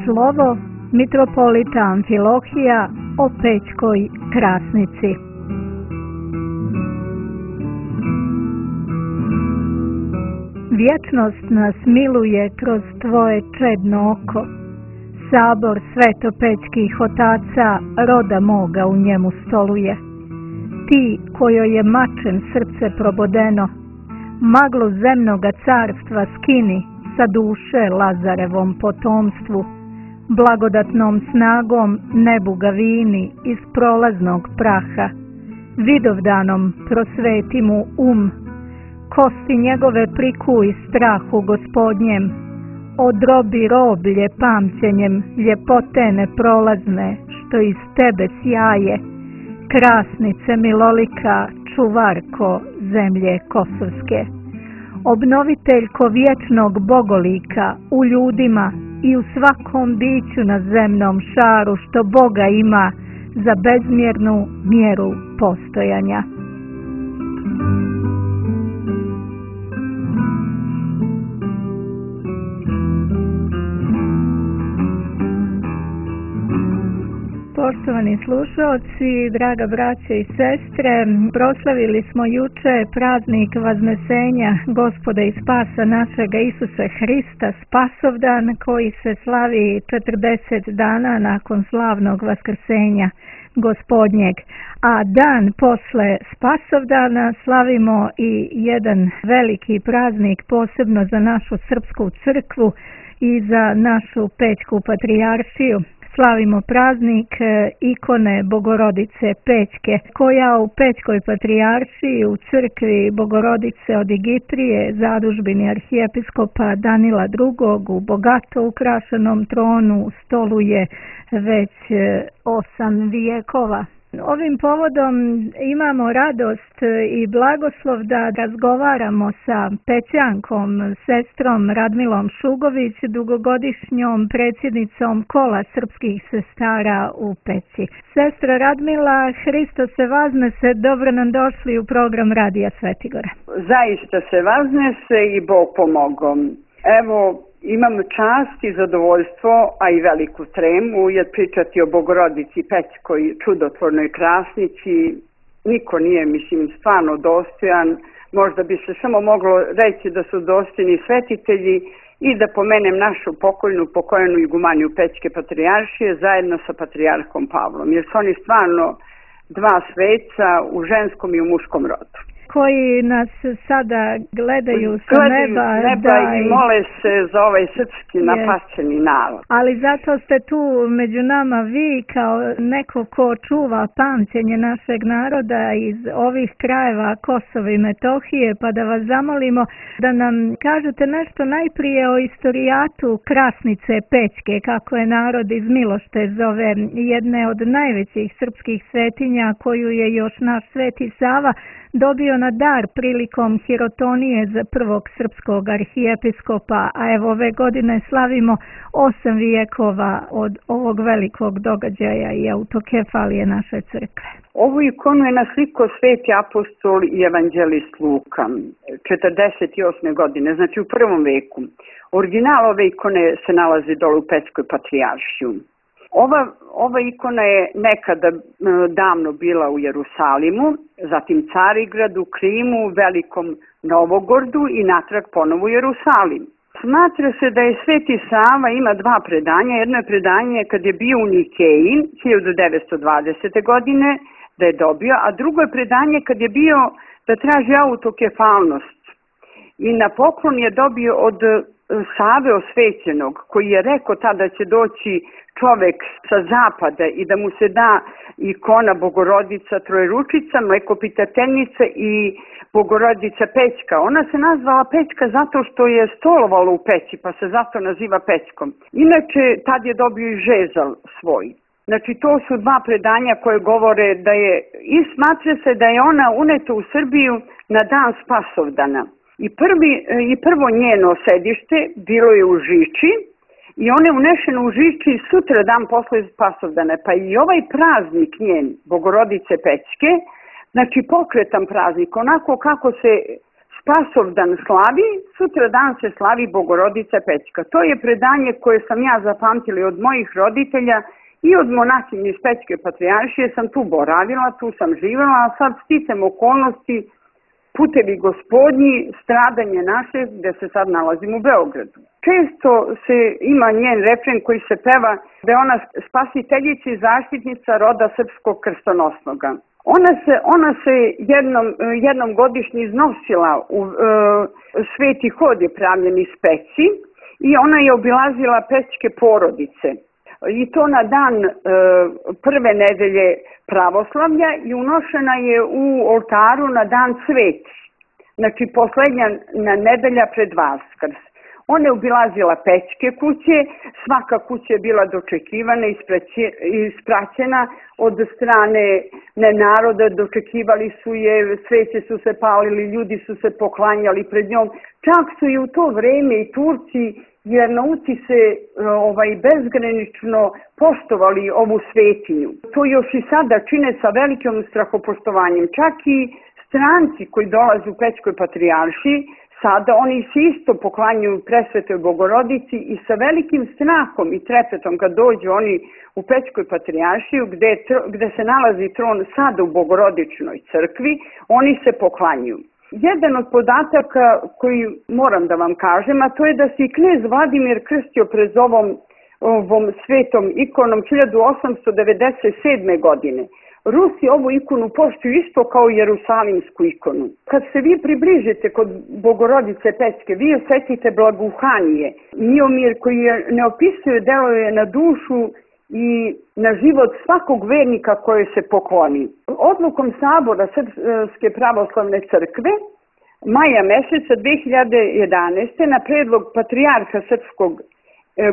slovo mitropolita Amfilohija o Pećkoj Krasnici. Vječnost nas miluje kroz tvoje čedno oko. Sabor svetopećkih otaca roda moga u njemu stoluje. Ti kojoj je mačem srce probodeno, maglu zemnoga carstva skini sa duše Lazarevom potomstvu, blagodatnom snagom nebu ga vini iz prolaznog praha, vidovdanom prosveti mu kosti njegove prikuj strahu gospodnjem, odrobi roblje pamćenjem ljepote neprolazne što iz tebe sjaje, krasnice milolika, čuvarko zemlje kosovske. Obnoviteljko vječnog bogolika u ljudima i u svakom biću na zemnom šaru što Boga ima za bezmjernu mjeru postojanja. Poštovani slušalci, draga braća i sestre, proslavili smo juče praznik Vaznesenja Gospoda i Spasa našega Isusa Hrista, Spasovdan, koji se slavi 40 dana nakon slavnog vaskrsenja Gospodnjeg. A dan posle Spasovdana slavimo i jedan veliki praznik posebno za našu srpsku crkvu i za našu Pećku patrijaršiju. Slavimo praznik ikone Bogorodice Pećke, koja u Pećkoj patrijaršiji u crkvi Bogorodice od Igitrije, zadužbini arhijepiskopa Danila II. U bogato ukrašenom tronu stoluje već 8 vijekova. Ovim povodom imamo radost i blagoslov da razgovaramo sa Pećankom, sestrom Radmilom Šugović, dugogodišnjom predsjednicom Kola srpskih sestara u Peći. Sestra Radmila, Hristos se vaznese, dobro nam došli u program Radija Svetigora. Zaista se vaznese i Bog pomogom. Evo, imam čast i zadovoljstvo, a i veliku tremu, jer pričati o Bogorodici Pećkoj čudotvornoj krasnici niko nije, stvarno dostojan. Možda bi se samo moglo reći da su dostojni svetitelji i da pomenem našu pokojenu igumaniju Pećke patrijaršije zajedno sa patrijarhom Pavlom, jer su oni stvarno dva sveca u ženskom i u muškom rodu. Koji nas sada gledaju sa neba i mole se za ovaj srpski napaćeni narod. Ali zato ste tu među nama vi kao neko ko čuva pamćenje našeg naroda iz ovih krajeva Kosova i Metohije, pa da vas zamolimo da nam kažete nešto najprije o istorijatu Krasnice Pećke, kako je narod iz Milošte zove, jedne od najvećih srpskih svetinja koju je još naš Sveti Sava dobio na dar prilikom hirotonije za prvog srpskog arhijepiskopa, a evo ove godine slavimo 8 vijekova od ovog velikog događaja i autokefalije naše crkve. Ovu ikonu je naslikao Sveti apostol i evanđelist Luka 48. godine, znači u prvom veku. Original ove ikone se nalazi dole u Pećkoj patrijaršiju. Ova ikona je nekada davno bila u Jerusalimu, zatim Carigradu, Krimu, Velikom Novogordu i natrag ponovo u Jerusalim. Smatra se da je Sveti Sava ima dva predanja. Jedno je predanje kad je bio u Nikeji 1920. godine da je dobio, a drugo je predanje kad je bio da traži autokefalnost. I na poklon je dobio od Save Osvećenog, koji je rekao tada će doći čovek sa zapada i da mu se da ikona Bogorodica Trojeručica, Mlekopitateljica i Bogorodica Pećka. Ona se nazvala Pećka zato što je stolovala u peći, pa se zato naziva Pećkom. Inače, tad je dobio i žezal svoj. Znači, to su dva predanja koje govore da je, i smatra se da je ona uneta u Srbiju na dan Spasovdana. I prvo njeno sedište bilo je u Žiči i ona je unešena u Žiči sutra dan posle Spasovdana. Pa i ovaj praznik njen, Bogorodice Pećke, znači pokretan praznik, onako kako se Spasovdan slavi, sutra dan se slavi Bogorodica Pećka. To je predanje koje sam ja zapamtila od mojih roditelja i od monahinje iz Pećke patrijaršije. Sam tu boravila, tu sam živjela, a sad sticam okolnosti, putevi gospodnji, stradanje naše, gde se sad nalazim u Beogradu. Često se ima njen refren koji se peva da je ona spasiteljica i zaštitnica roda srpskog krstonosnoga. Ona se jednom godišnje iznosila u sveti hod je pravljen iz Peći i ona je obilazila pećke porodice. I to na dan prve nedelje pravoslavlja i unošena je u oltaru na dan Sveti. Znači poslednja nedelja pred Vaskrs. Ona je obilazila pećke kuće, svaka kuća je bila dočekivana i ispraćena od strane naroda, dočekivali su je, sveće su se palili, ljudi su se poklanjali pred njom. Čak su i u to vreme i Turci, vernouci se bezgranično poštovali ovu svetinju. To još i sada čine sa velikim strahopoštovanjem. Čak i stranci koji dolaze u Pećkoj patrijaršiji, sada oni se isto poklanjuju presvetoj Bogorodici i sa velikim strahom i trepetom kad dođu oni u Pećkoj patrijaršiju gde se nalazi tron sada u Bogorodičnoj crkvi, oni se poklanjuju. Jedan od podataka koji moram da vam kažem, a to je da se i knez Vladimir krstio pred ovom svetom ikonom 1897. godine. Rusi ovu ikonu poštuju isto kao jerusalimsku ikonu. Kad se vi približite kod Bogorodice Pećke, vi osetite blagohanije, miomir koji ne opisuje, deluje na dušu i na život svakog vernika koje se pokloni. Odlukom Sabora Srpske pravoslavne crkve maja meseca 2011. na predlog patrijarha srpskog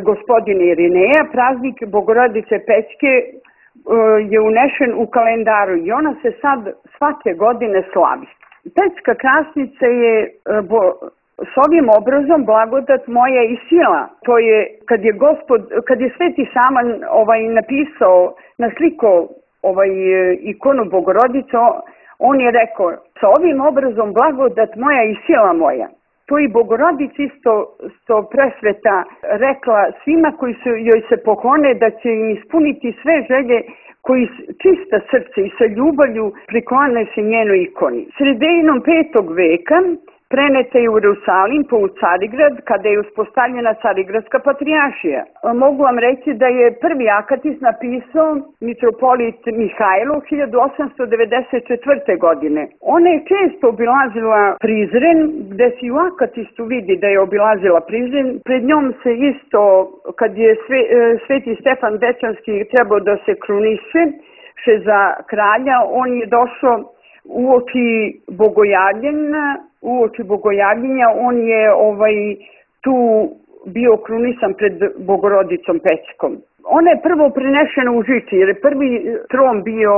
gospodina Irineja praznik Bogorodice Pećke je unešen u kalendaru i ona se sad svake godine slavi. Pećka krasnica je s ovim obrazom blagodat moja i sila. To je kad je Sveti Saman napisao, naslikao ikonu Bogorodice, on je rekao sa ovim obrazom blagodat moja i sila moja. To i Bogorodica isto presveta rekla svima koji joj se poklone da će im ispuniti sve želje koji čista srce i sa ljubavlju priklone se njenoj ikoni. Sredinom 5. veka preneta je u Jerusalim u Carigrad kada je uspostavljena Carigradska patrijaršija. Mogu vam reći da je prvi akatis napisao mitropolit Mihajlo 1894. godine. Ona je često obilazila Prizren, gde se u akatistu vidi da je obilazila Prizren. Pred njom se isto, kad je Sveti Stefan Dečanski trebao da se kruniše za kralja, on je došao uoči Bogojavljenja, on je tu bio krunisan pred Bogorodicom Pećkom. Ona je prvo prenešena u Žiči, jer je prvi tron bio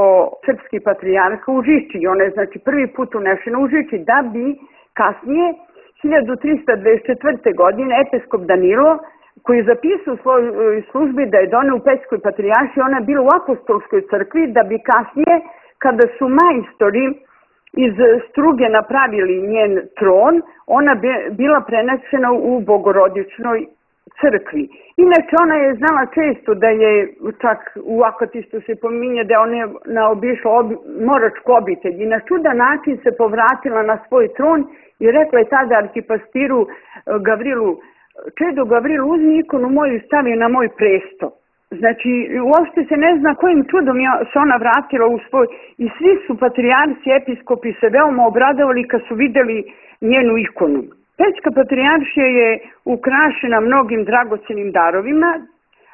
srpski patrijarh u Žiči. Ona je znači prvi put unešena u Žiči, da bi kasnije 1324. godine episkop Danilo, koji je zapisao u svojoj službi da je doneo u Pećkoj patrijaršiji, ona je bila u apostolskoj crkvi, da bi kasnije, kada su majstori iz struge napravili njen tron, ona bila prenesena u Bogorodičnoj crkvi. Inače, ona je znala često da je, čak u akatistu se pominje da je ona naobišla moračku obitelj i na čudan način se povratila na svoj tron i rekla je tada arhipastiru Gavrilu: čedo Gavrilu, uzmi ikonu moju i stavi na moj presto. Znači, uopšte se ne zna kojim čudom se ona vratila u svoj... I svi su patrijarci, episkopi se veoma obradovali kad su videli njenu ikonu. Pećka patrijaršija je ukrašena mnogim dragocenim darovima,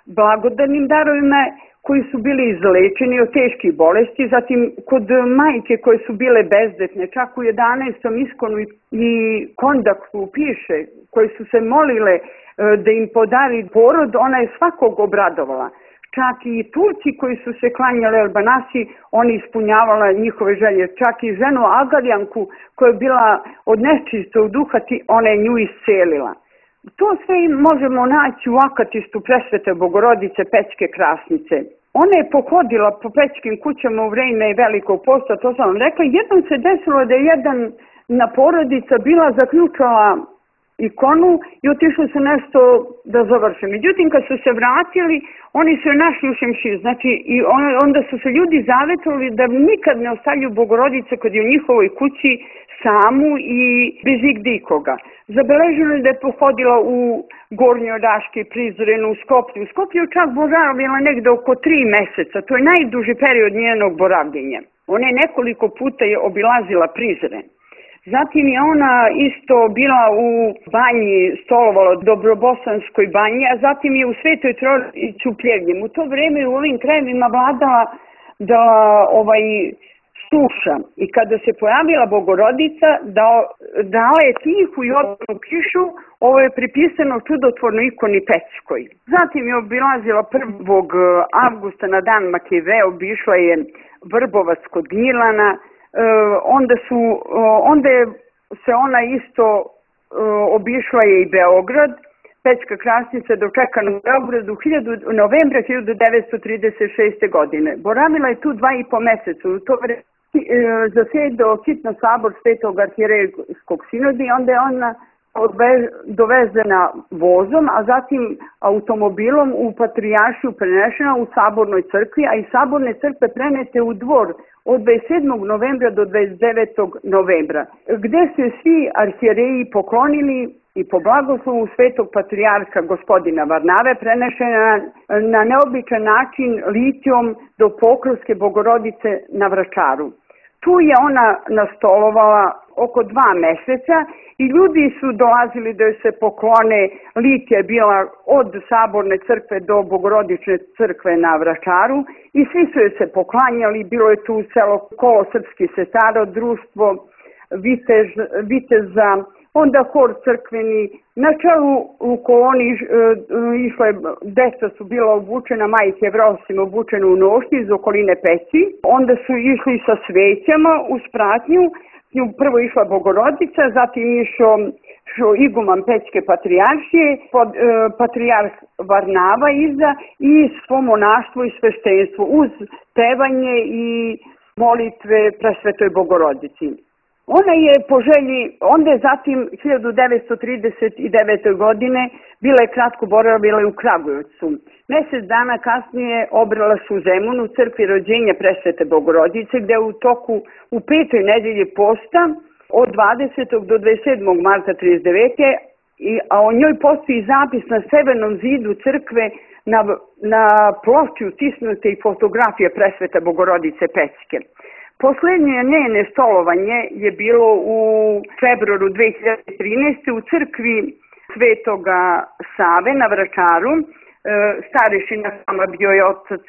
blagodarnim darovima koji su bili izlečeni od teških bolesti, zatim kod majke koje su bile bezdetne, čak u 11. iskonu i kondaktu piše, koje su se molile da im podari porod, ona je svakog obradovala. Čak i Turci koji su se klanjali Albanasi, oni ispunjavala njihove želje. Čak i ženu Agaljanku koja je bila od nečistog duha, ona je nju iscelila. To sve možemo naći u akatistu presvete Bogorodice Pećke krasnice. Ona je pohodila po pećkim kućama u vreme Velikog posta, to sam vam rekla. Jednom se desilo da je jedan na porodica bila zaključala ikonu i otišli su nešto da završe. Međutim, kad su se vratili, oni su je našli u šemšiju. Znači, i onda su se ljudi zavetovali da nikad ne ostavljaju Bogorodice kad je u njihovoj kući samu i bez igde ikoga. Zabeleženo je da je pohodila u Gornjoj Raški, Prizrenu, u Skoplju. U Skoplju je čak boravila negde oko 3 meseca. To je najduži period njenog boravljenja. Ona je nekoliko puta obilazila Prizren. Zatim je ona isto bila u banji, stolovala Dobrobosanskoj banji, a zatim je u Svetoj Trojici u Pljevljem. U to vreme u ovim krajevima vladala suša i kada se pojavila Bogorodica dala je tihu i odmornu kišu. Ovo je pripisano čudotvornoj ikoni Pećkoj. Zatim je obilazila 1. avgusta na dan Makeve, obišla je Vrbovac kod Gnjilana. Onda se ona isto obišla je i Beograd. Pećka Krasnica dočekana u Beogradu novembra 1936. godine. Boravila je tu 2,5 meseca. U to vreme zasedao hitno sabor Svetog arhijerejskog sinoda i onda je ona dovezena vozom, a zatim automobilom u Patrijaršiju prenešena u Sabornoj crkvi, a iz Saborne crkve prenete u dvor od 27. novembra do 29. novembra, gde se svi arhijereji poklonili i po blagoslovu Svetog Patrijarha gospodina Varnave prenešena na neobičan način litijom do Pokrovske Bogorodice na Vračaru. Tu je ona nastolovala oko 2 meseca i ljudi su dolazili da joj se poklone. Litija je bila od Saborne crkve do Bogorodične crkve na Vračaru i svi su joj se poklanjali. Bilo je tu selo Kolo srpskih sestara, društvo viteza, onda hor crkveni. Na čelu u koloni deca su bila obučena, majke Jevrosima obučene u nošnje iz okoline Peći. Onda su išli sa svećama u spratnju. Prvo išla Bogorodica, zatim išao iguman Pećke patrijaršije, patrijarh Varnava iza i svo monaštvo i sveštenstvo uz pevanje i molitve Presvetoj Bogorodici. Ona je po želji, onda je zatim 1939. godine bila je kratko boravila u Kragujevcu. Mjesec dana kasnije obrala se u Zemunu, crkvi rođenja Presvete Bogorodice, gde u 5. nedelji posta od 20. do 27. marta 1939. A o njoj postoji zapis na severnom zidu crkve na ploči utisnute i fotografije Presvete Bogorodice Pećke. Poslednje njene stolovanje je bilo u februaru 2013. u crkvi Svetoga Save na Vračaru. Starešina sama bio je otac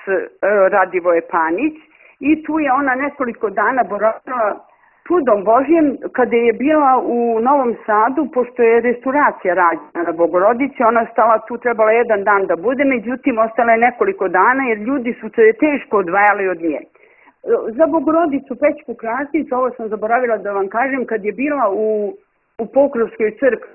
Radivoje Panić i tu je ona nekoliko dana boravila čudom Božjem. Kada je bila u Novom Sadu, pošto je restauracija rađena na Bogorodici, ona stala tu, trebala 1 dan da bude, međutim ostala je nekoliko dana jer ljudi su se teško odvajali od nje. Za Bogorodicu Pećku Krasnicu, ovo sam zaboravila da vam kažem, kad je bila u Pokrovskoj crkvi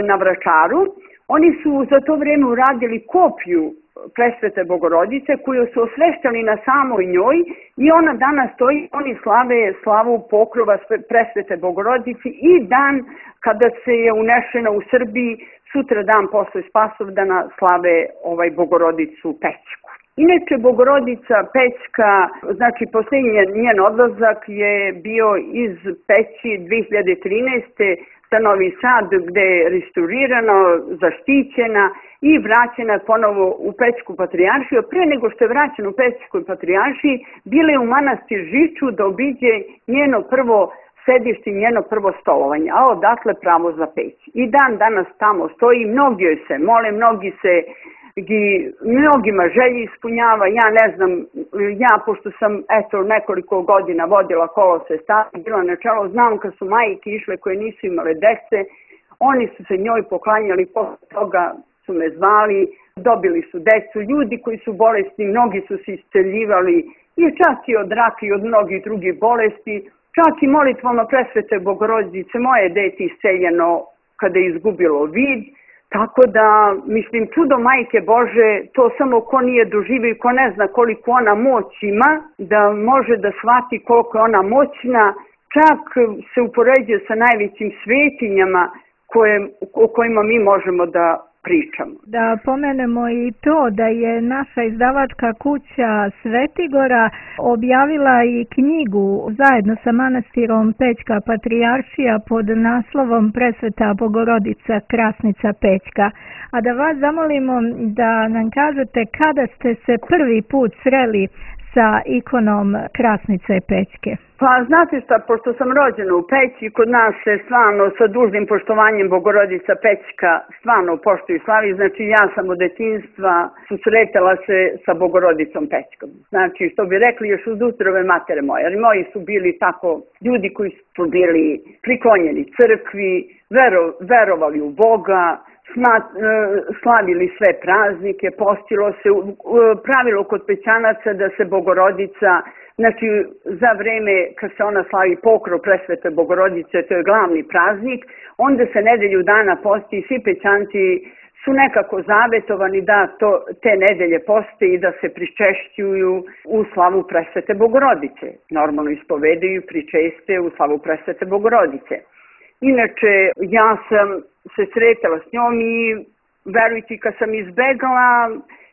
na Vračaru, oni su za to vreme uradili kopiju Presvete Bogorodice koju su osveštali na samoj njoj i ona danas stoji, oni slave slavu Pokrova Presvete Bogorodice i dan kada se je unešena u Srbiji, sutra dan posle Spasovdana slave Bogorodicu Pećku. Inače, Bogorodica Pećka, znači posljednji njen odlazak je bio iz Peći 2013. za Novi Sad, gde je restaurirana, zaštićena i vraćena ponovo u Pećku patrijaršiju. Pre nego što je vraćena u Pećkoj patrijaršiji, bila je u manastir Žiču da obiđe njeno prvo sedište, njeno prvo stolovanje, a odatle pravo za Peć. I dan danas tamo stoji, mnogi joj se mole, mnogima želji ispunjava. Ja ne znam, pošto sam nekoliko godina vodila kolo sestara, bila na čelu, znam kad su majke išle koje nisu imale dece, oni su se njoj poklanjali, posle toga su me zvali, dobili su decu, ljudi koji su bolesni, mnogi su se isceljivali i čak i od raka i od mnogih drugih bolesti, čak i molitvama Presvete Bogorodice moje dete isceljeno kada je izgubilo vid. Tako da, mislim, čudo Majke Bože, to samo ko nije doživio i ko ne zna koliko ona moć ima, da može da shvati koliko je ona moćna, čak se upoređuje sa najvećim svetinjama o kojima mi možemo da pričamo. Da pomenemo i to da je naša izdavačka kuća Svetigora objavila i knjigu zajedno sa manastirom Pećka Patrijaršija pod naslovom Presveta Bogorodica Krasnica Pećka. A da vas zamolimo da nam kažete kada ste se prvi put sreli sa ikonom Krasnice Pećke. Pa znate šta, pošto sam rođena u Peći, kod nas se stvarno sa dužnim poštovanjem Bogorodica Pećka stvarno poštuje i slavi. Znači ja sam od detinjstva susretala se sa Bogorodicom Pećkom. Znači što bi rekli još uz utrove matere moje. Jer moji su bili tako ljudi koji su bili priklonjeni crkvi, verovali u Boga, slavili sve praznike, postilo se, pravilo kod Pećanaca da se Bogorodica, znači za vreme kad se ona slavi pokrov Presvete Bogorodice, to je glavni praznik, onda se nedelju dana posti i svi Pećanci su nekako zavetovani da te nedelje poste i da se pričešćuju u slavu Presvete Bogorodice. Normalno ispovedaju, pričeste u slavu Presvete Bogorodice. Inače, ja sam se sretala s njom i verujte, kad sam izbegala,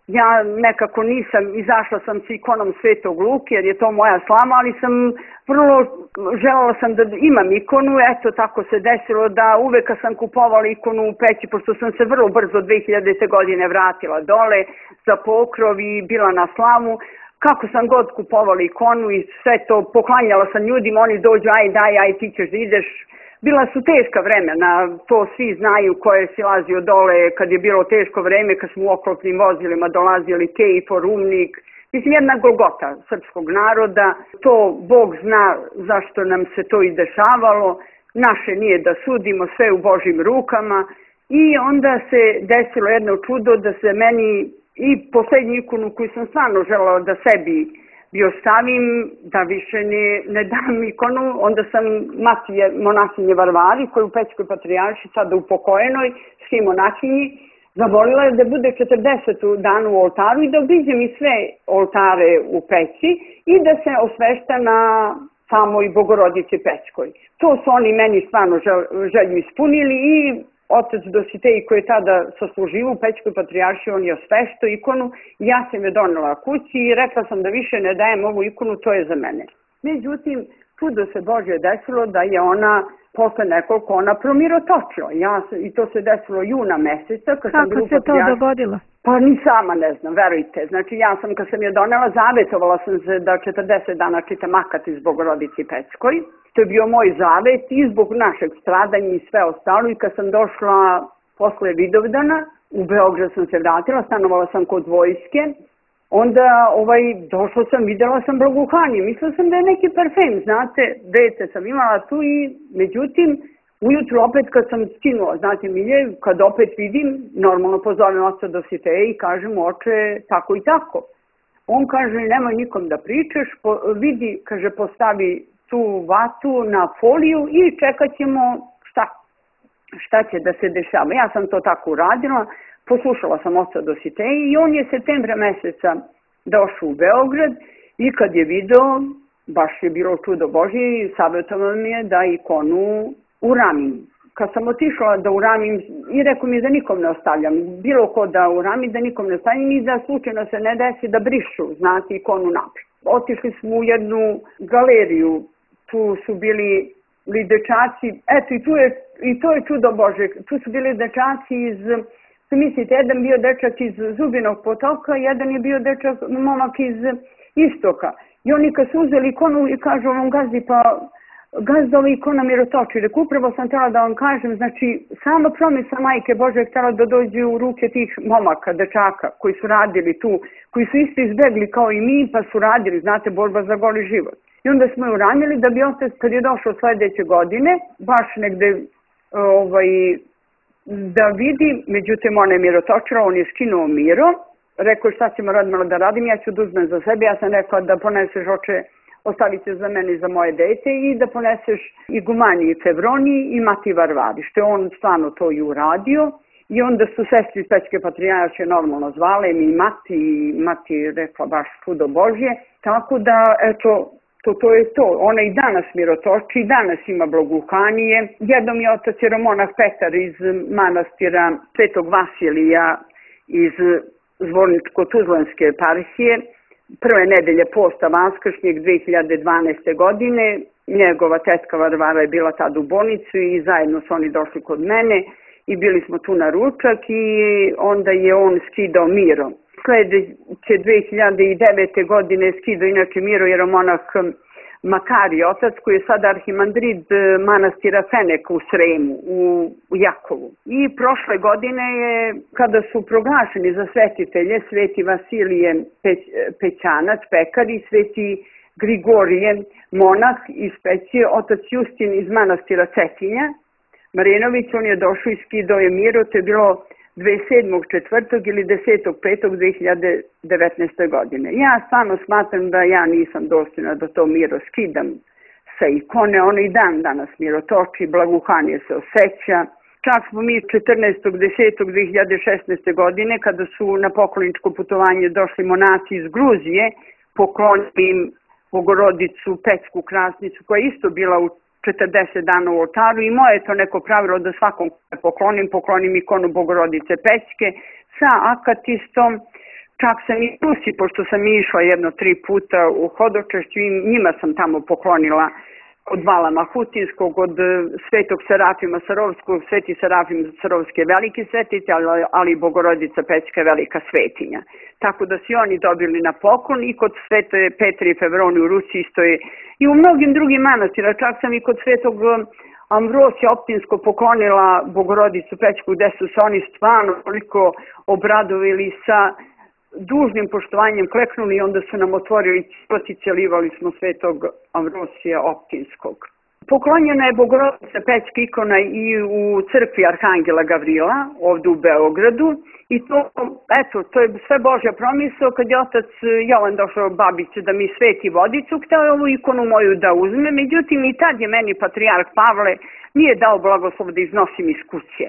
ja nekako nisam, izašla sam s ikonom Svetog Luke jer je to moja slava, ali sam želela sam da imam ikonu, eto tako se desilo da uvek kad sam kupovala ikonu u Peći, pošto sam se vrlo brzo 2000. godine vratila dole za pokrov i bila na slavu, kako sam god kupovala ikonu i sve to poklanjala sam ljudima, oni dođu, aj ti ćeš da ideš. Bila su teška vremena, to svi znaju ko je silazio dole kad je bilo teško vreme, kad smo u oklopnim vozilima dolazili Kejfor, Rumnik. Mislim, jedna golgota srpskog naroda, to Bog zna zašto nam se to i dešavalo, naše nije da sudimo, sve u Božjim rukama. I onda se desilo jedno čudo da se meni i poslednju ikonu koju sam stvarno želala da sebi ostavim, da više ne dam ikonu, onda sam monahinje Varvari, koja je u Pećkoj Patrijarši, sada upokojenoj, svi monahinji, zamolila je da bude 40 dana u oltaru i da obiđem i sve oltare u Peći i da se osvešta na samoj Bogorodici Pećkoj. To su oni meni stvarno želju ispunili i otac Dositej koji je tada sasluživao u Pećkoj Patrijaršiji, on je osveštao ikonu, ja sam je donela kući i rekla sam da više ne dajem ovu ikonu, to je za mene. Međutim, čudo se Božje desilo da je ona posle nekoliko promirotočila. I to se desilo juna meseca. Kako se to dogodilo? Pa ni sama ne znam, verujte. Znači ja sam kad sam je donela, zavetovala sam se da 40 dana čitam akat iz Bogorodici Pećkoj. To je bio moj zavet i zbog našeg stradanja i sve ostalo. I kad sam došla posle Vidovdana, u Beograd sam se vratila, stanovala sam kod vojske. Onda došla sam, videla sam blagohanje. Mislila sam da je neki parfem, znate, dete sam imala tu i međutim, ujutru opet kad sam skinula, znate Milje, kad opet vidim, normalno pozovem oca Dositeja i kažem oče tako i tako. On kaže nemoj nikom da pričaš, vidi, kaže postavi tu vatu na foliju i čekat ćemo šta će da se dešava. Ja sam to tako uradila, poslušala sam oca Dositeja i on je septembra meseca došao u Beograd i kad je video, baš je bilo čudo Božje i savjetovao mi je da ikonu uramim. Kad sam otišla da uramim i rekao mi da nikom ne ostavljam, bilo ko da urami, da nikom ne ostavljam i da slučajno se ne desi da brišu, znate, ikonu naprijed. Otišli smo u jednu galeriju, tu su bili dečaci, eto i to je čudo Bože, tu su bili dečaci iz, mislite, jedan bio dečak iz Zubinog potoka, jedan je bio momak iz Istoka. I oni kad su uzeli ikonu i kažu ovom gazdi, pa gazda ova ikona mirotoči. Rekao, upravo sam htjela da vam kažem, znači sama promisla Majke Bože htjela da dođe u ruke tih momaka, dečaka koji su radili tu, koji su isto izbegli kao i mi, pa su radili, znate, borba za goli život. I onda smo je uranili da bi otac, kad je došao sledeće godine, baš negde da vidi, međutim ona je mirotočila, on je skinuo miro, rekao šta ćemo radimo da radim, ja ću da uzmem za sebe, ja sam rekla da poneseš oče, ostavit ćeš za mene i za moje dete i da poneseš igumaniji Fevroni i Mati Varvari, što je on stvarno to i uradio. I onda su sestri iz Pećke Patrijaršije normalno zvale mi i Mati rekla baš čudo Božje, tako da eto To je to. Ona i danas mirotoči, i danas ima blagoukanje. Jednom je otac jeromonah Petar iz manastira Svetog Vasilija iz Zvorničko-Tuzlanske eparhije, prve nedelje posta vaskršnjeg 2012. godine. Njegova tetka Varvara je bila tad u bolnicu i zajedno su oni došli kod mene i bili smo tu na ručak i onda je on skidao Miro. Sledeće 2009. godine skidao inače Miro jeromonah Makarije, otac koji je sada arhimandrid manastira Fenek u Sremu, u Jakovu. I prošle godine je, kada su proglašeni za svetitelje, sveti Vasilije Pećanac, pekar i sveti Grigorije, monah iz Pećije, otac Justin iz manastira Cetinja, Marinović, on je došao i skidao je Miro, to je bilo 27.4. ili 10.5.2019. godine. Ja stvarno smatram da ja nisam dostojna da to Miro skidam sa ikone, ono i dan danas Miro toči, blagoukanje se osjeća. Čak smo mi 14.10.2016. godine, kada su na pokloničko putovanje došli monaci iz Gruzije, poklonili im Bogorodicu Pećku Krasnicu, koja je isto bila u 40 dana u oltaru i moje je to neko pravilo da svakom poklonim ikonu Bogorodice Pećke sa akatistom. Čak sam i Rusi, pošto sam išla 3 puta u Hodočešću i njima sam tamo poklonila od Vala Mahutinskog, od Svetog Serafima Sarovskog, Sveti Serafim Sarovski je veliki svetić, ali Bogorodica Pećka je velika svetinja. Tako da su oni dobili na poklon i kod Svete Petre i Fevroni u Rusiji isto je i u mnogim drugim manastira. Čak sam i kod Svetog Amvrosija Optinsko poklonila Bogorodicu Pećku, gde su se oni stvarno toliko obradovili sa dužnim poštovanjem, kleknuli i onda su nam otvorili ćivac i celivali smo Svetog Amvrosija Optinskog. Poklonjena je Bogorodica Pećka ikona i u crkvi Arhangela Gavrila, ovdje u Beogradu. I to je sve Božja promisao. Kad je otac Jovan došao babice da mi sveti vodicu, hteo je ovu ikonu moju da uzme, međutim i tad je meni patrijarh Pavle nije dao blagoslov da iznosim iz kuće.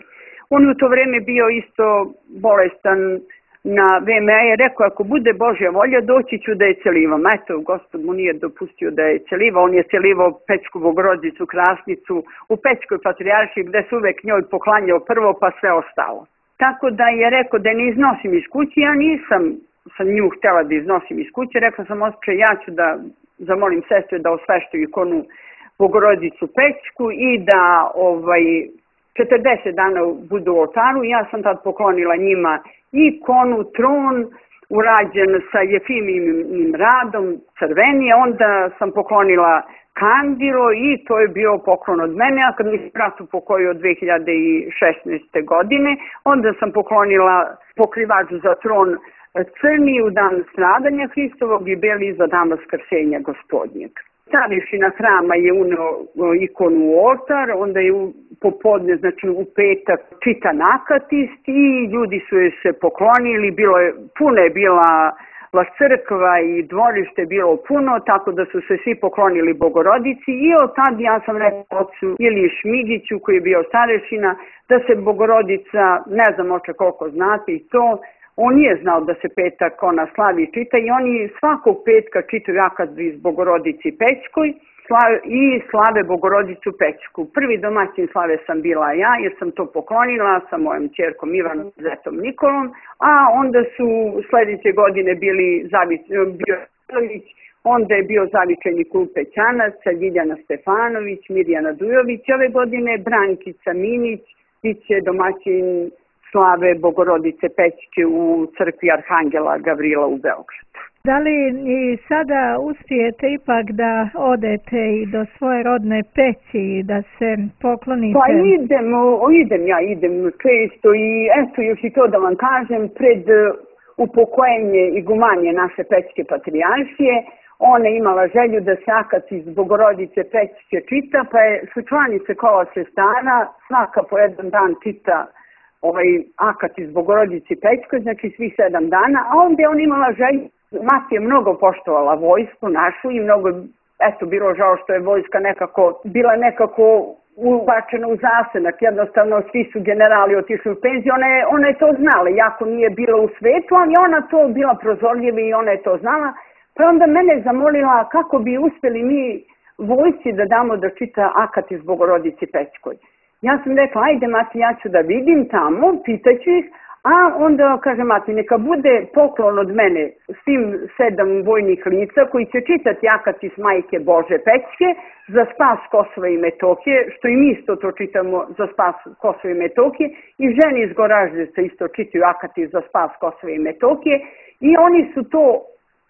On u to vreme bio isto bolestan na VMA je rekao, ako bude Božja volja, doći ću da je celivam. Eto, Gospod mu nije dopustio da je celivao, on je celivao Pećku Bogorodicu Krasnicu u Pećkoj patrijaršiji, gde se uvek njoj poklanjao prvo, pa sve ostalo. Tako da je rekao da ne iznosim iz kuće, ja nisam sa nju htjela da iznosim iz kuće, rekla sam osjećaj, ja ću da zamolim sestre da osveštaju ikonu Bogorodicu Pećku i da 40 dana budu u oltaru. Ja sam tad poklonila njima ikonu, tron, urađen sa Jefimijim radom, crvenije, onda sam poklonila kandilo i to je bio poklon od mene, a kad mi se brat upokojio od 2016. godine, onda sam poklonila pokrivač za tron crni u dan stradanja Hristovog i beli za dan vaskrsenja Gospodnjeg. Starešina hrama je uneo ikonu u oltar, onda je popodne, znači u petak, čitan akatist i ljudi su joj se poklonili, puno je bila crkva i dvorište bilo puno, tako da su se svi poklonili Bogorodici i od tad ja sam rekao ocu Iliji Šmigiću koji je bio starešina da se Bogorodica, ne znam oče koliko znate i to, on nije znao da se petak ona slavi i čita i oni svakog petka čitaju akad iz Bogorodici Pećkoj i slave Bogorodicu Pećku. Prvi domaćin slave sam bila ja jer sam to poklonila sa mojom ćerkom Ivanom Zetom Nikolom, a onda su sledeće godine bio Stelić, onda je bio zavičajni klub Pećanaca, Ljiljana Stefanović, Mirjana Dujović, ove godine Brankica Minić, bit će domaćin slave Bogorodice Pećke u crkvi Arhangela Gavrila u Beogradu. Da li i sada uspijete ipak da odete i do svoje rodne Peći i da se poklonite? Pa idem često i eto još i to da vam kažem, pred upokojenje igumanije naše Pećke patrijaršije, ona je imala želju da se akat iz Bogorodice Pećke čita, pa su članice kola sestara svaka po jedan dan čita akat iz Bogorodice Pećke, znači svih 7 dana, a onda je on imala želju. Mati je mnogo poštovala vojsku našu i mnogo, bilo žao što je vojska bila nekako ubačena u zasenak, jednostavno svi su generali otišli u penziju, ona je to znala, jako nije bila u svetu, ali ona to bila prozorljiva i ona je to znala, Pa onda mene zamolila kako bi uspjeli mi vojsci da damo da čita Akatis Bogorodici Pećkoj. Ja sam rekla, ajde mati, ja ću da vidim tamo, pitaću ih, a onda kaže mati, neka bude poklon od mene svim 7 vojnih lica koji će čitati Akatis Majke Bože Pećke za spas Kosova i Metohije, što i mi isto to čitamo za spas Kosova i Metohije, i ženi iz Goraždevca isto čitaju Akatis za spas Kosova i Metohije, i oni su to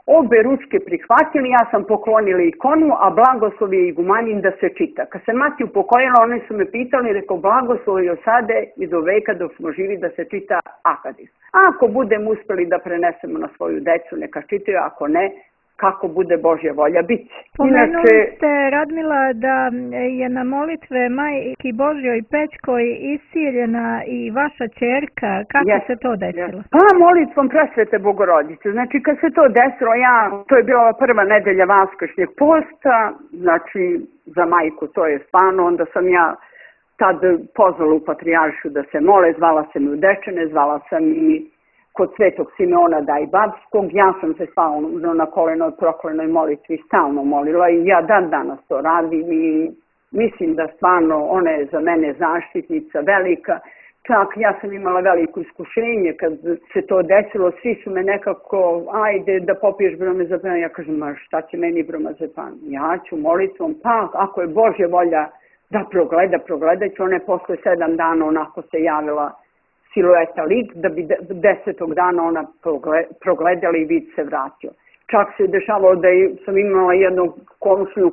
obe ručke prihvatili, ja sam poklonila ikonu, a blagoslov je igumanin da se čita. Kad se mati upokojila, oni su me pitali, rekao, blagoslov je od sada i do veka dok smo živi da se čita Akatis. Ako budemo uspjeli da prenesemo na svoju decu, neka čitaju, ako ne, kako bude Božja volja biti. Pomenuli ste, Radmila, da je na molitve Majki Božjoj Pećkoj isiljena i vaša ćerka. Kako se to desilo? Pa molitvom Presvete Bogorodice. Znači kad se to desilo, to je bila prva nedelja Vaskršnjeg posta, znači za majku to je stvarno, onda sam ja tad pozvala u Patrijaršu da se mole, zvala sam i u Dečane, zvala sam i kod Svetog Simeona Dajbabskog, ja sam se stalno na kolenoj proklenoj molitvi stalno molila i ja dan danas to radim i mislim da stvarno ona je za mene zaštitnica velika. Čak ja sam imala veliko iskušenje kad se to desilo, svi su me nekako, ajde da popiješ bromazepam, ja kažem, ma šta će meni bromazepam, ja ću molitvom, pa ako je Božja volja da progledat ću, ona je posle 7 dana onako se javila silueta lik, da bi 10. dana ona progledala i vid se vratio. Čak se je dešavalo da sam imala jednu komšiju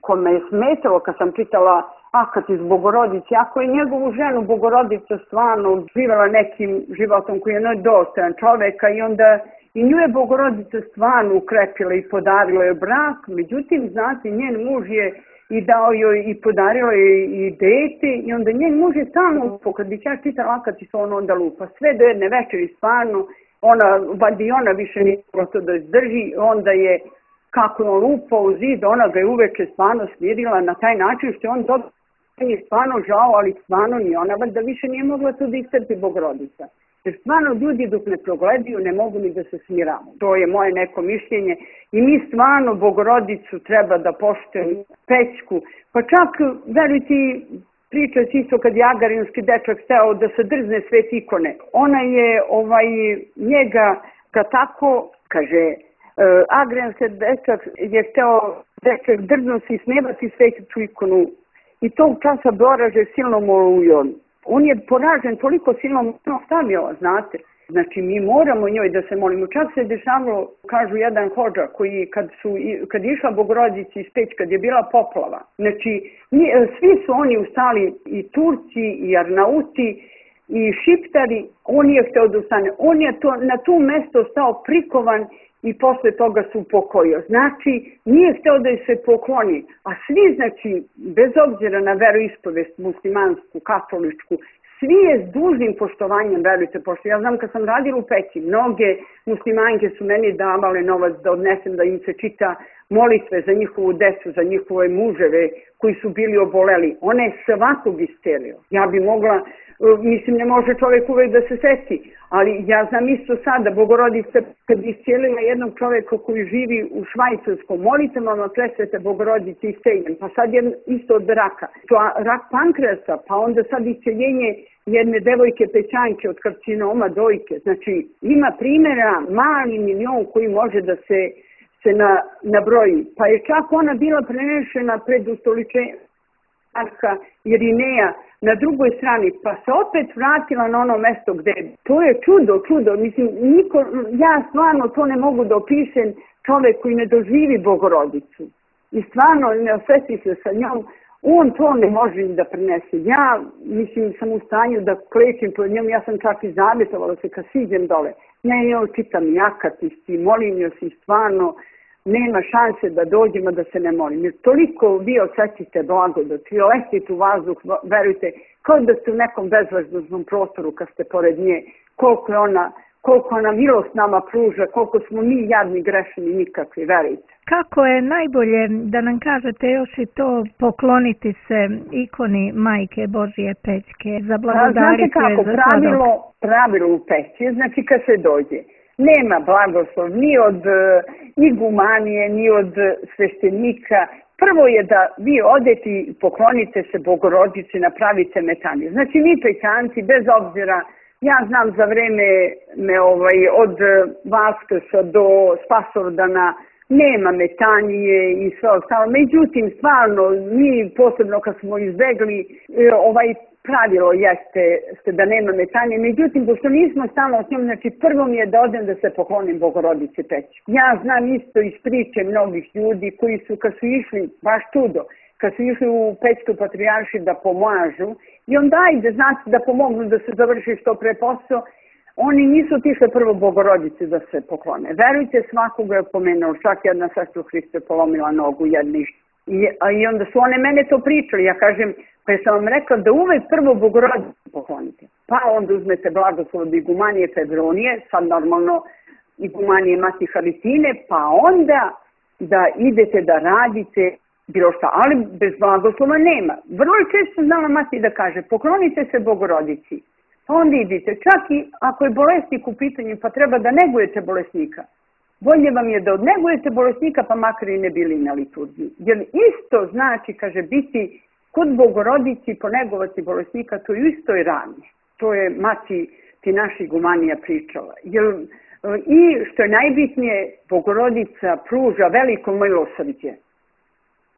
kome je smetalo kad sam čitala Akatis Bogorodici, ako je njegovu ženu Bogorodica stvarno živjela nekim životom koji je nedostojan čoveka i onda i nju je Bogorodica stvarno ukrepila i podarila joj brak, međutim, znate, njen muž je i dao joj i podarila joj i dete i onda njen muž je stalno, kad bi ja čitala Akatis, on onda lupa. Sve do jedne večeri stvarno, ona više nije mogla to da izdrži, onda je, kako je on lupao u zid, ona ga je uveče stvarno smirila na taj način što je on dobro, je stvarno žao, ali stvarno ni ona, da više nije mogla to da istrpi Bogorodica. Jer stvarno ljudi dok ne progledaju ne mogu ni da se smiramo. To je moje neko mišljenje i mi stvarno Bogorodicu treba da poštujemo, Pećku. Pa čak, verujte, priča se isto kad je agarinski dečak hteo da se drzne sve ikone. Ona je njega tako, kaže, agrenski dečak je hteo drzno se ismevati sveću ikonu i tog časa Boraže silnom olujom. On je poražen toliko silnom stavio, znate. Znači, mi moramo njoj da se molimo. Čak se dešavalo, kažu jedan hodža, koji kad je išla Bogorodici iz Peć, kad je bila poplava. Znači, svi su oni ustali, i Turci, i Arnauti, i Šiptari. On je hteo da ustane. On je na to mesto stao prikovan i posle toga se upokojio. Znači, nije hteo da se pokloni. A svi, znači, bez obzira na veroispovest muslimansku, katoličku, svi je s dužnim poštovanjem, verujte, pošto ja znam kad sam radila u Peći, mnoge muslimanke su meni davale novac da odnesem, da im se čita molitve za njihovu decu, za njihove muževe koji su bili oboleli. Ona je svakog iscelio. Ja bi mogla, mislim, ne može čovjek uvek da se seti, ali ja znam isto sada, Bogorodica kad bi iscijelila jednog čovjeka koji živi u Švajcarskom, molitama Presvete Bogorodice isceljen, pa sad je isto od raka. To rak pankreasa, pa onda sad isceljenje jedne devojke Pećanke od karcinoma dojke. Znači, ima primjera mali milion koji može da se nabroji. Pa je čak ona bila prenešena pred ustoličenjem Arka Irineja na drugoj strani, pa se opet vratila na ono mesto gde je. To je čudo. Mislim, ja stvarno to ne mogu da opišem, čovek koji ne doživi Bogorodicu i stvarno ne osveti se sa njom, on to ne može da prenese. Ja, mislim, sam u stanju da klečim pred njom, ja sam čak i zavjetovala se kad siđem dole. Ja čitam Akatis i molim joj se stvarno, nema šanse da dođemo da se ne molim. Jer toliko vi osjećate blagodat, vi letite u vazduh, verujte, kao da ste u nekom bezvazdušnom prostoru kad ste pored nje, koliko ona milost nama pruža, koliko smo mi jadni, grešni, nikakvi, verujte. Kako je najbolje, da nam kažete još i to, pokloniti se ikoni Majke Božije Pećke, zablagodariti je za sladok? Pravilo u Peći, znači kad se dođe. Nema blagoslov ni od igumanije, ni od sveštenika. Prvo je da vi odete i poklonite se Bogorodici, napravite metanje. Znači mi pećanci, bez obzira, ja znam za vreme od Vaskrsa do Spasovdana nema metanije i sve ostalo. Međutim, stvarno, mi posebno kad smo izbegli, pravilo jeste da nema metanje. Međutim, pošto nismo stalno s njom, znači prvo mi je da odem da se poklonim Bogorodici Pećkoj. Ja znam isto iz priče mnogih ljudi koji su, kad su išli, baš čudo, kad su išli u Pećku patrijaršiju da pomažu, i onda ajde, znači da pomognu da se završi što pre posao, oni nisu otišli prvo Bogorodici da se poklone. Verujte, svakoga je pomenuo, čak jedna sestra u Hristu je polomila nogu jedni. I onda su one mene to pričali, ja kažem, pa sam vam rekla da uvek prvo Bogorodicu poklonite. Pa onda uzmete blagoslov od igumanije Febronije, sad normalno igumanije Mati Haritine, pa onda da idete da radite bilo šta, ali bez blagoslova nema. Vrlo često znala Mati da kaže, poklonite se Bogorodici, pa onda idite. Čak i ako je bolesnik u pitanju, pa treba da negujete bolesnika. Bolje vam je da odnegujete bolesnika, pa makar i ne bili na liturgiji. Jer isto znači, kaže, biti kod Bogorodici, ponegovati bolesnika, to je isto i rane. To je Mati ti naša igumanija pričala. I što je najbitnije, Bogorodica pruža veliko milosrđe.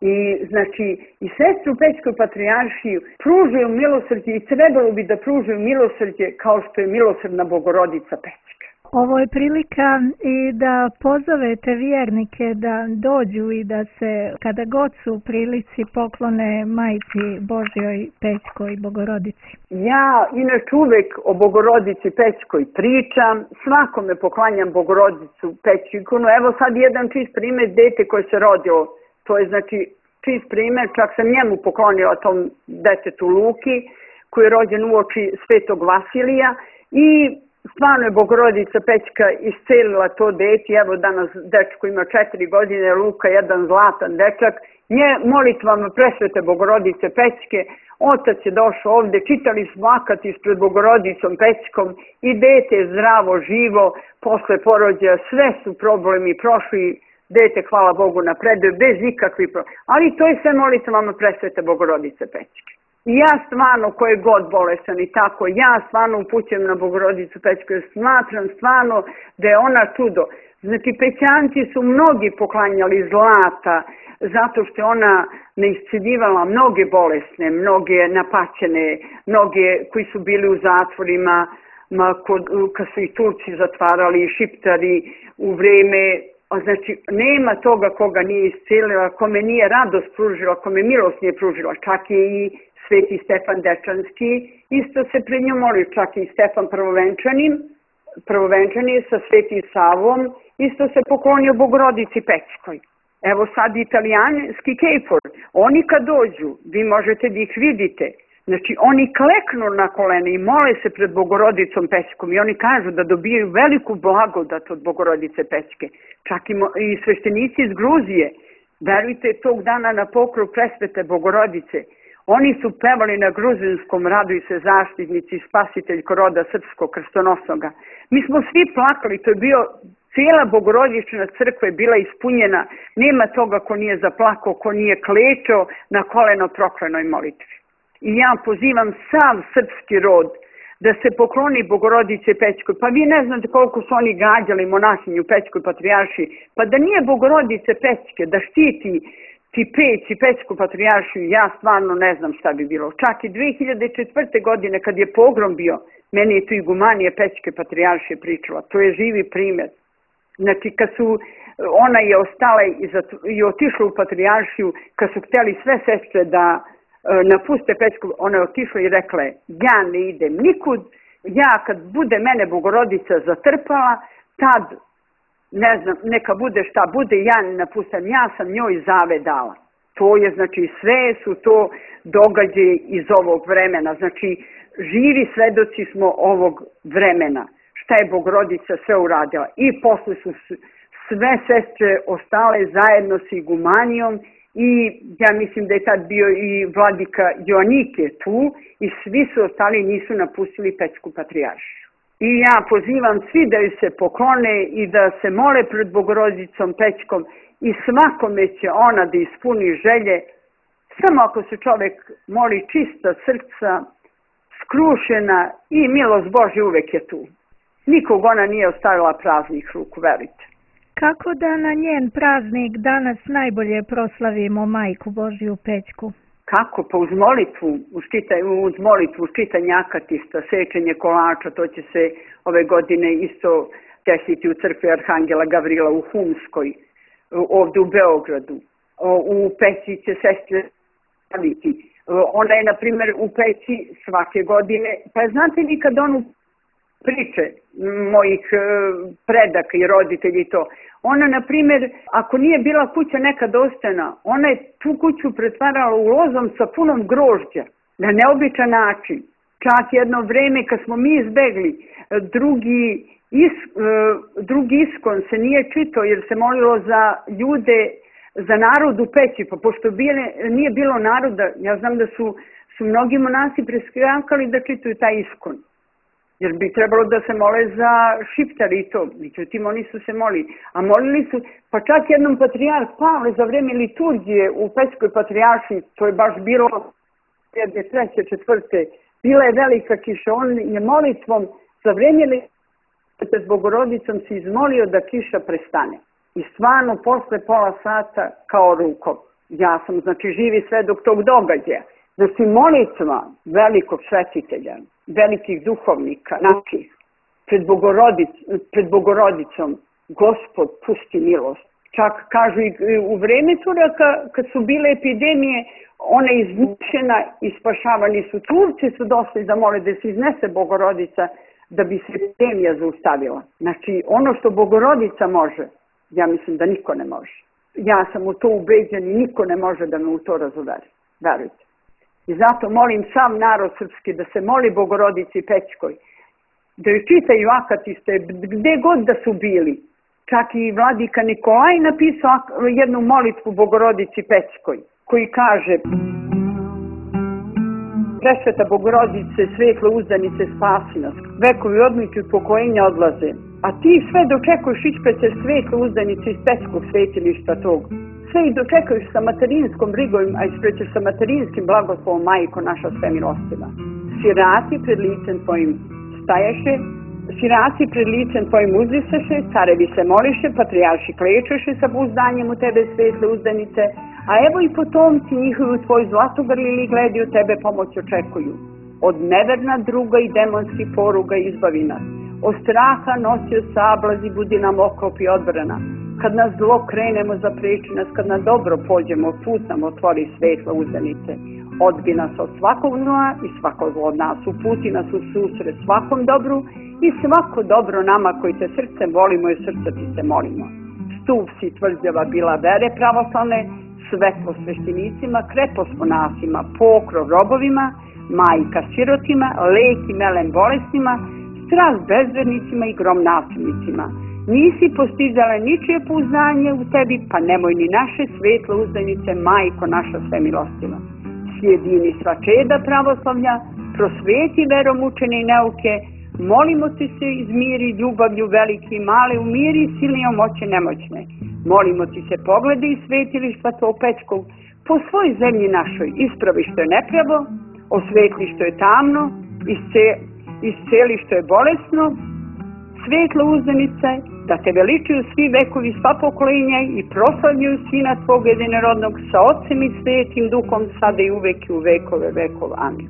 I znači i sestre u Pećkoj patrijaršiji pružaju milosrđe i trebalo bi da pružaju milosrđe kao što je milosrdna Bogorodica Pećka. Ovo je prilika i da pozovete vjernike da dođu i da se kada god su u prilici poklone Majci Božjoj Pećkoj Bogorodici. Ja inače uvek o Bogorodici Pećkoj pričam, svakome poklanjam Bogorodicu Pećku ikonu. Evo sad jedan čist primjer, dete koje se rodilo. To je znači čist primjer, čak sam njemu poklonila tom detetu Luki, koji je rođen uoči Svetog Vasilija i stvarno je Bogorodica Pećka iscelila to dete. Evo danas dečko ima 4 godine, Luka jedan zlatan dečak. Nje molitvama presvete Bogorodice Pećke, otac je došao ovde, čitali smo akat ispred Bogorodicom Pećkom i dete je zdravo, živo, posle porođaja sve su problemi prošli. Dete, hvala Bogu, napreduje bez ikakvih problema. Ali to je sve molitvama presvete Bogorodice Pećke. I ja stvarno, ko je god bolesan i tako, ja stvarno upućujem na Bogorodicu Pećku, jer smatram stvarno da je ona čudo. Znači, pećanci su mnogi poklanjali zlata, zato što je ona neisceljivala mnoge bolesne, mnoge napaćene, mnoge koji su bili u zatvorima, kad su i Turci zatvarali, i Šiptari u vreme. Znači, nema toga koga nije iscelila, kome nije radost pružila, kome milost nije pružila. Čak i Sveti Stefan Dečanski isto se pred njom moli, čak i Stefan Prvovenčani sa Svetim Savom isto se poklonio Bogorodici Pećkoj. Evo sad italijanski kejfor, oni kad dođu, vi možete da ih vidite, znači oni kleknu na kolene i mole se pred Bogorodicom Pećkom i oni kažu da dobijaju veliku blagodat od Bogorodice Pećke. Čak i sveštenici iz Gruzije, verujte, tog dana na pokrov presvete Bogorodice, oni su pevali na gruzinskom raduj se zaštitnici, spasiteljko roda srpskog krstonosnoga. Mi smo svi plakali, to je bio, cijela Bogorodična crkva je bila ispunjena, nema toga ko nije zaplakao, ko nije klečao na koleno proklenoj molitvi. I ja pozivam sav srpski rod da se pokloni Bogorodice Pećkoj. Pa vi ne znate koliko su oni gađali monahinju Pećkoj patrijaršiji. Pa da nije Bogorodice Pećke, da štiti ti Peć i Pećku patrijaršiju, ja stvarno ne znam šta bi bilo. Čak i 2004. godine kad je pogrom bio, meni je tu igumanija Pećke patrijaršije pričala. To je živi primjer. Znači kad su, ona je ostala i otišla u patrijaršiju, kad su htjeli sve sestre da napuste Pećku, ona je otišla i rekla je, ja ne idem nikud, ja kad bude mene Bogorodica zatrpala, tad, ne znam, neka bude šta bude, ja ne napustam, ja sam njoj zave dala. To je, znači, sve su to događaje iz ovog vremena, znači, živi svedoci smo ovog vremena, šta je Bogorodica sve uradila. I posle su sve sestre ostale zajedno s igumanijom, i ja mislim da je tad bio i vladika Joanike tu i svi su ostali, nisu napustili Pećku patrijaršiju. I ja pozivam svi da ju se poklone i da se mole pred Bogorodicom Pećkom i svakome će ona da ispuni želje, samo ako se čovjek moli čista srca, skrušena i milost Božja uvek je tu. Nikog ona nije ostavila praznih ruku, verite. Kako da na njen praznik danas najbolje proslavimo Majku Božju Pećku? Kako? Pa uz molitvu, uz molitvu, čitanje akatista, sečenje kolača, to će se ove godine isto desiti u crkvi Arhangela Gavrila u Humskoj, ovdje u Beogradu. U Peći će sestre staviti. Ona je, na primjer, u Peći svake godine, pa znate vi kad onu priče mojih predaka i roditelji to, ona, na primjer, ako nije bila kuća nekad ostajna, ona je tu kuću pretvarala u lozom sa punom grožđa, na neobičan način. Čak jedno vreme kad smo mi izbegli, drugi iskon se nije čitao jer se molilo za ljude, za narod u Peći, pa pošto nije bilo naroda, ja znam da su mnogi monasi preskakali da čitaju taj iskon. Jer bi trebalo da se mole za Šiptari i to. Međutim, oni su se molili. A molili su, pa čak jednom patrijarh Pavle za vreme liturgije u Pećkoj patrijaršiji, to je baš bilo 2003. 2004. Bila je velika kiša. On je molitvom za vreme liturgije s Bogorodicom se izmolio da kiša prestane. I stvarno, posle pola sata kao rukom. Ja sam, znači, živi svedok tog događaja. Znači, molitva velikog svetitelja, velikih duhovnika, znači, pred Bogorodicom, Gospod pusti milost. Čak kažu i u vreme Turaka, kad su bile epidemije, ona je izmučena i spašavani su. Turci su došli da mole da se iznese Bogorodica da bi se epidemija zaustavila. Znači, ono što Bogorodica može, ja mislim da niko ne može. Ja sam u to ubeđen i niko ne može da me u to razuveri. Verujte. I zato molim sam narod srpski da se moli Bogorodici Pećkoj, da ju čitaju akatiste gde god da su bili. Čak i vladika Nikolaj napisao jednu molitvu Bogorodici Pećkoj, koji kaže: Presveta Bogorodice, svetle uzdanice, spasi nas, vekovi odmiki u pokojenja odlaze, a ti sve dočekuješ ispred svetle uzdanice iz Pećkog svetilišta tog. Sve i dočekuješ sa materinskom brigom, a isprećeš sa materinskim blagoslovom, Majko naša sve milostiva. Sirati pred licem tvojim stajaše, sirati pred licem tvojim uzdisaše, carevi se moliše, patrijarši klečeše sa pouzdanjem u tebe svetle uzdanice, a evo i potomci njihovi u tvoj zlatogrlili gledi u tebe pomoć očekuju. Od neverna druga i demonskih poruga izbavi nas. Od straha nosio sablazi, budi nam oklop i odbrana. Kad nas zlo krenemo zapreči nas, kad na dobro pođemo, put nam otvori svetla uzdanice. Odbi nas od svakog zla i svako zlo od nas, uputi nas u susret svakom dobru i svako dobro nama koji te srcem volimo i srca ti se molimo. Stup si tvrđava bila vere pravoslavne, svetlo sveštenicima, krepost monasima, pokrov robovima, majka sirotima, lek i melem bolestima, strast bezvernicima i grom nasilnicima. Nisi postizala ničije pouzdanje u tebi, pa nemoj ni naše svetle uzdanice, Majko naša sve milostiva. Sjedini sva čeda pravoslavlja, prosveti verom učene i neuke, molimo ti se izmiri ljubavlju velike i male, umiri silnijom moće nemoćne. Molimo ti se pogledi i svetilišta tvog Pećkog, po svoj zemlji našoj ispravi što je nepravo, osvetli što je tamno, isceli što je bolesno, svetlo uzdanice, da te veličuju svi vekovi, sva pokolenja i proslavljuju Sina tvog jedinorodnog sa Otcem i Svetim Duhom, sada i uvek i u vekove vekov. Amin.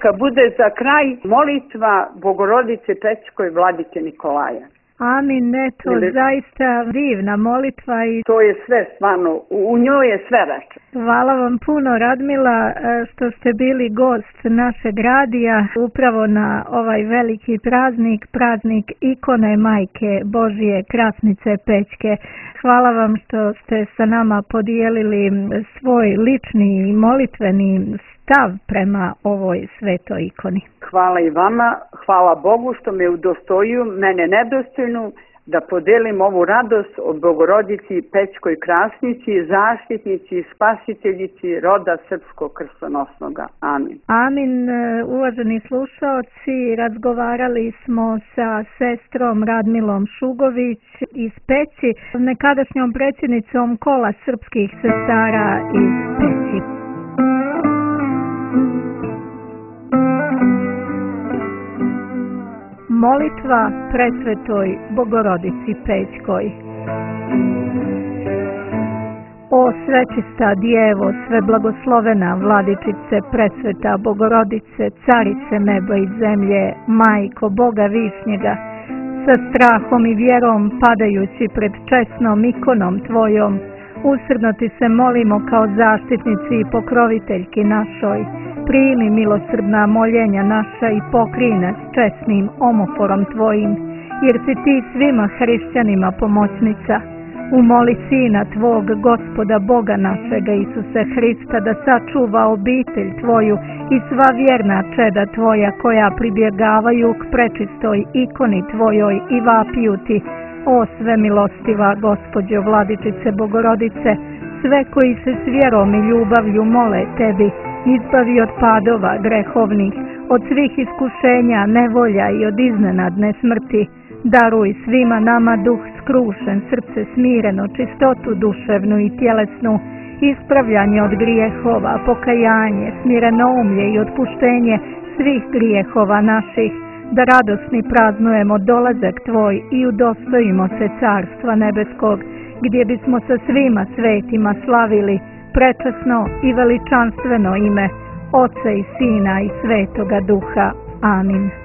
Kad bude za kraj molitva Bogorodice Pećkoj vladike Nikolaja. Amin, eto, zaista divna molitva i to je sve stvarno, u njoj je sve reče. Hvala vam puno, Radmila, što ste bili gost našeg radija upravo na ovaj veliki praznik, praznik ikone Majke Božije Krasnice Pećke. Hvala vam što ste sa nama podijelili svoj lični molitveni stav prema ovoj svetoj ikoni. Hvala i vama, hvala Bogu što me udostojio, mene nedostojnu, da podelim ovu radost o Bogorodici Pećkoj Krasnici, zaštitnici i spasiteljici roda srpskog krstonosnoga. Amin. Amin. Uvaženi slušaoci, razgovarali smo sa sestrom Radmilom Šugović iz Peći, nekadašnjom predsjednicom Kola srpskih sestara iz Peći. Molitva presvetoj Bogorodici Pećkoj. O svečista Djevo, sve blagoslovena Vladičice, presveta Bogorodice, Carice neba i zemlje, Majko Boga Višnjega, sa strahom i vjerom padajući pred česnom ikonom Tvojom, usrdno Ti se molimo kao zaštitnici i pokroviteljki našoj. Primi milosrdna moljenja naša i pokrij nas česnim omoforom Tvojim, jer si Ti svima hrišćanima pomoćnica. Umoli Sina Tvog, Gospoda Boga našega Isuse Hrista, da sačuva obitelj Tvoju i sva vjerna čeda Tvoja koja pribjegavaju k prečistoj ikoni Tvojoj i vapiju Ti, o sve milostiva Gospođo Vladičice Bogorodice, sve koji se s vjerom i ljubavlju mole Tebi, izbavi od padova grehovnih, od svih iskušenja, nevolja i od iznenadne smrti. Daruj svima nama duh skrušen, srce smireno, čistotu duševnu i tjelesnu, ispravljanje od grijehova, pokajanje, smirenomlje i otpuštenje svih grijehova naših, da radosni praznujemo dolazak Tvoj i udostojimo se Carstva nebeskog, gdje bismo sa svima svetima slavili prečasno i veličanstveno ime Oca i Sina i Svetoga Duha. Amin.